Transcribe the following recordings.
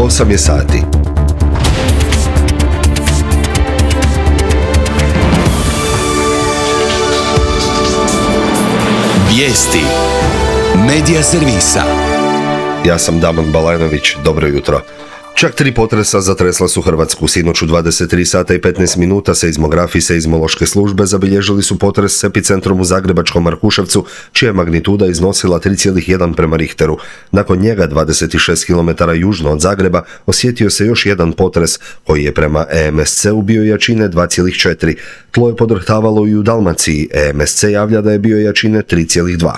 8 je sati. Vijesti Medija servisa. Ja sam Damon Balajnović, dobro jutro. Čak 3 potresa zatresla su Hrvatsku. Sinoć u 23 sata i 15 minuta seizmografi seizmološke službe zabilježili su potres s epicentrom u zagrebačkom Markuševcu, čija je magnituda iznosila 3,1 prema Richteru. Nakon njega, 26 km južno od Zagreba, osjetio se još jedan potres koji je prema EMSC-u bio jačine 2,4. Tlo je podrhtavalo i u Dalmaciji. EMSC javlja da je bio jačine 3,2.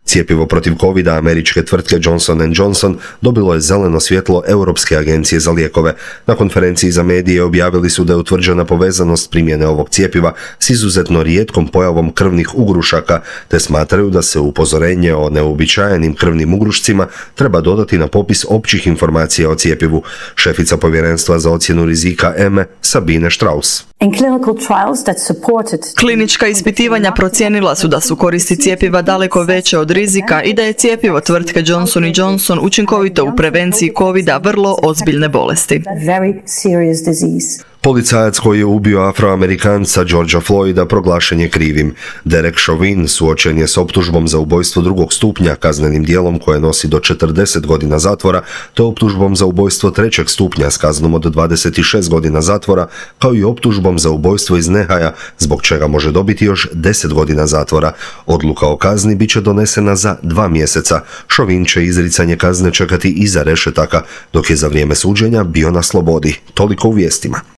Cjepivo protiv covida američke tvrtke Johnson & Johnson dobilo je zeleno svjetlo Europske agencije za lijekove. Na konferenciji za medije objavili su da je utvrđena povezanost primjene ovog cjepiva s izuzetno rijetkom pojavom krvnih ugrušaka, te smatraju da se upozorenje o neuobičajenim krvnim ugrušcima treba dodati na popis općih informacija o cjepivu. Šefica povjerenstva za ocjenu rizika EME, Sabine Strauss. Klinička ispitivanja procijenila su da su koristi cjepiva daleko veće od rizika i da je cjepivo tvrtke Johnson & Johnson učinkovito u prevenciji covida, vrlo ozbiljne bolesti. Policajac koji je ubio Afroamerikanca Georgea Floyda proglašen je krivim. Derek Chauvin suočen je s optužbom za ubojstvo drugog stupnja, kaznenim djelom koje nosi do 40 godina zatvora, te optužbom za ubojstvo trećeg stupnja s kaznom od 26 godina zatvora, kao i optužbom za ubojstvo iz nehaja, zbog čega može dobiti još 10 godina zatvora. Odluka o kazni bit će donesena za 2 mjeseca. Chauvin će izricanje kazne čekati iza rešetaka, dok je za vrijeme suđenja bio na slobodi. Toliko u vijestima.